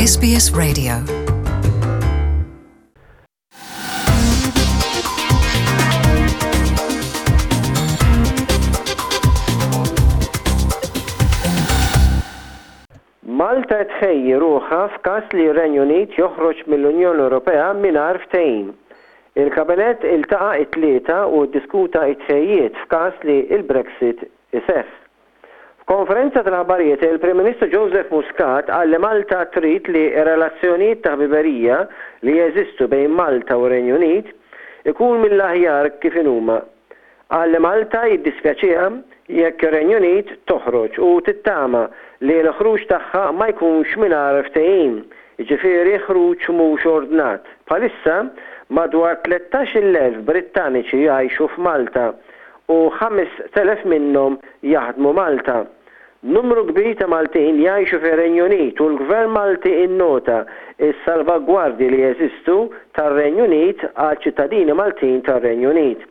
SBS Radio. Malta qed tħejji ruħha f'każ li r-Renju Unit joħroġ mill-Unjoni Ewropea mingħajr ftehim. Il-Kabinett iltaqa' it-Tlieta u ddiskuta t-tħejjijiet f'każ li l-Brexit iseħħ. F'konferenza tal-aħbarijiet, il-Prim Ministru Joseph Muscat qal li Malta trid li r-relazzjonijiet ta' ħbiberija li jeżistu bejn Malta u r-Renju Unit ikun mill-aħjar kif inhuma. Qal li Malta jiddispjaċiha jekk ir-Renju Unit toħroġ u tittama li l-ħruġ tagħha ma jkunx mingħajr ftehim, jiġifieri ħruġ mhux ordnat. Bħalissa, madwar 13,000 Brittaniċi jgħixu f'Malta u 5,000 minnhom jaħdmu Malta. Numru kbir ta' Maltin jgħixu fir-Renju Unit u l-Gvern Malti innota s-salvagwardji li jeżistu tar-Renju Unit għal ċittadini Maltin tar-Renju Unit.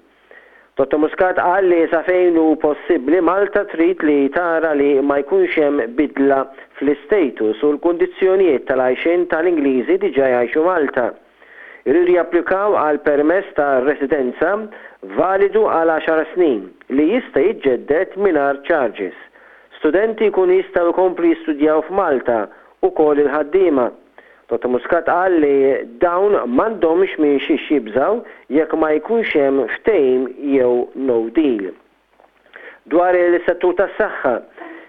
Dottor Muscat qal li sa fejn hu possibbli Malta trid li tara li ma jkunx hemm bidla fl-istatus u l-kundizzjonijiet tal-għajxien tal-Ingliżi diġà jgħixu Malta. Iridu japplikaw għal permess ta' residenza validu għal għaxar snin, li jista' jiġġedded mingħajr charges. Studenti jkunu jistgħu jkomplu jistudjaw f'Malta, ukoll il-ħaddiema. Dottor Muscat qal li dawn m'għandhomx minn xiex jibżgħu jekk ma jkunx hemm ftehim jew no deal. Dwar il-settur tas-saħħa,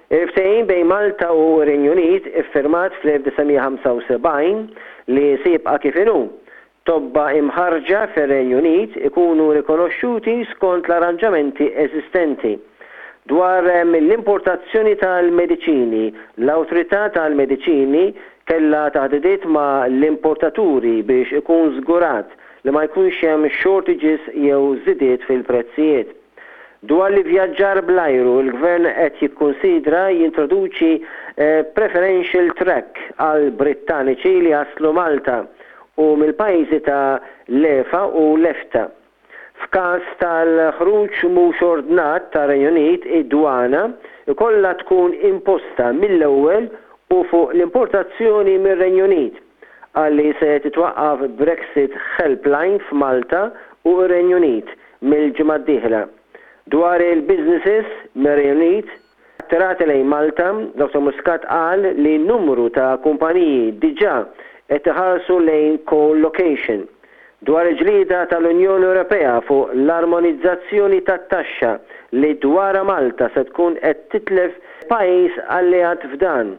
il-ftehim bejn Malta u r-Renju Unit iffirmat fl-1975 li se jibqa' kif inhu, tobba imħarrġa fir-Renju Unit ikunu rikonoxxuti skont l-arranġamenti eżistenti. Dwar l-importazzjoni tal-mediċini, l-Awtorità tal-Mediċini kellha taħdidiet ma' l-importaturi biex ikun żgurat li ma jkunx hemm shortages jew żidiet fil-prezzijiet. Dwar l-ivvjaġġar bl-ajru, il-Gvern qed jikkunsidra jintroduċi preferential track għal Brittaniċi li jaslu Malta u mill-pajjiżi ta' l-EFA u l-EFTA. F'każ tal-ħruġ mhux ordnat tar-Renju Unit, id-dwana jkollha tkun imposta mill-ewwel u fuq l-importazzjoni mir-Renju Unit. Qal li se titwaqqaf Brexit Helpline f'Malta u r-Renju Unit mill-ġimgħa d-dieħla. Dwar il-businesses mir-Renju Unit attirati lejn Malta, Dottor Muscat qal li numru ta' kumpaniji diġà qed iħarsu lejn co-location. Dwar il-ġlieda tal-Unjoni Ewropea fuq l-armonizzazzjoni tat-taxxa li dwarha Malta se tkun qed titlef pajjiż alleat f'dan,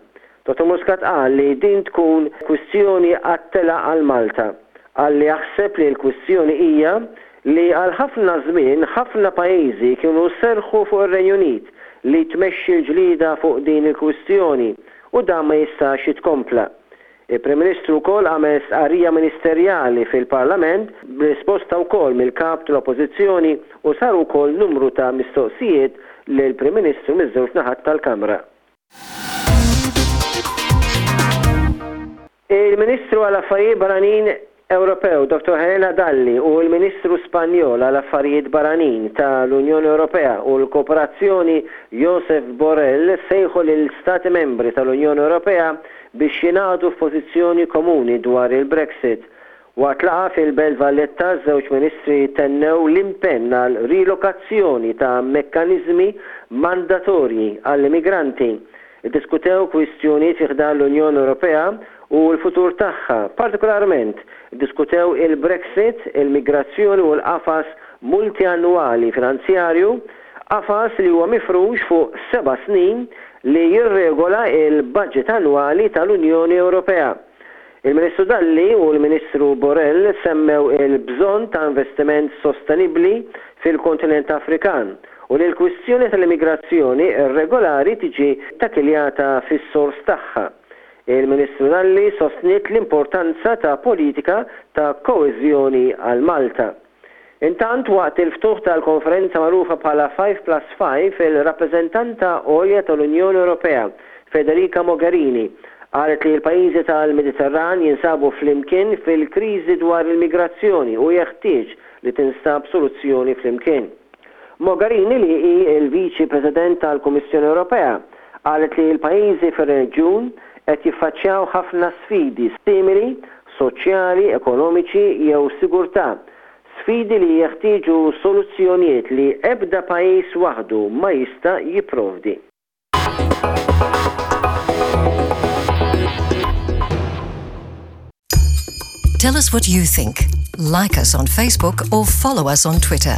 Dottor Muscat qal li din tkun kwistjoni għat-telgħa għal Malta. Qal li jaħseb li l-kwistjoni hija li għal ħafna żmien ħafna pajjiżi kienu serrħu fuq ir-Renju Unit li tmexxi l-ġlieda fuq din il-kwistjoni u dan ma jistax jitkompla. Il-Prim Ministru wkoll għamel stqarrija ministerjali fil-Parlament b'risposta wkoll mill-Kap tal-Oppożizzjoni u saru wkoll numru ta' mistoqsijiet lill-Prim Ministru miż-żewġ naħat tal-Kamra. Il-Ministru għal Affarijiet Barranin Ewropew Dottor Helena Dalli u l-Ministru Spanjol għal Affarijiet Barranin ta' l-Unjoni Ewropea u l-Kooperazzjoni Josep Borrell sejħu lil Stati Membri tal-Unjoni Ewropea biex jingħaqdu f'pożizzjoni komuni dwar il-Brexit. Waqt laqgħa fil-Belt Valletta ż-żewġ Ministri tennew l-impenn għal rilokazzjoni ta' mekkaniżmi mandatorji għall-immigranti. Iddiskutew kwistjonijiet fi ħdan l-Unjoni Ewropea u l-futur tagħha. Partikolarment, iddiskutew il-Brexit, il-migrazzjoni u l-qafas multiannwali finanzjarju, qafas li huwa mifrux fuq seba' snin li jirregola l-baġit annwali tal-Unjoni Ewropea. Il-Ministru Dalli u l-Ministru Borrell semmew il-bżonn ta' investiment sostenibbli fil-kontinent Afrikan u li l-kwistjoni tal-immigrazzjoni irregolari tiġi ttakkiljata fis-sors tagħha. Il-Ministru Dalli sostniet l-importanza ta' politika ta' koeżjoni għal Malta. Intant, waqt il-ftuħ tal-konferenza magħrufa bħala Five Plus Five, il-Rappreżentanta Għolja tal-Unjoni Ewropea, Federica Mogherini, qalet li l-pajjiżi tal-Mediterran jinsabu flimkien fil-kriżi dwar il-migrazzjoni u jeħtieġ li tinstab soluzzjoni flimkien. Mogherini, li hi l-Viċi President tal-Kummissjoni Ewropea, qalet li l-pajjiżi fir-reġjun. qed jiffaċċjaw ħafna sfidi simili, soċjali, ekonomiċi jew sigurtà, sfidi li jeħtieġu soluzzjonijiet li ebda pajjiż waħdu ma jista' jipprovdi. Tell us what you think. Like us on Facebook or follow us on Twitter.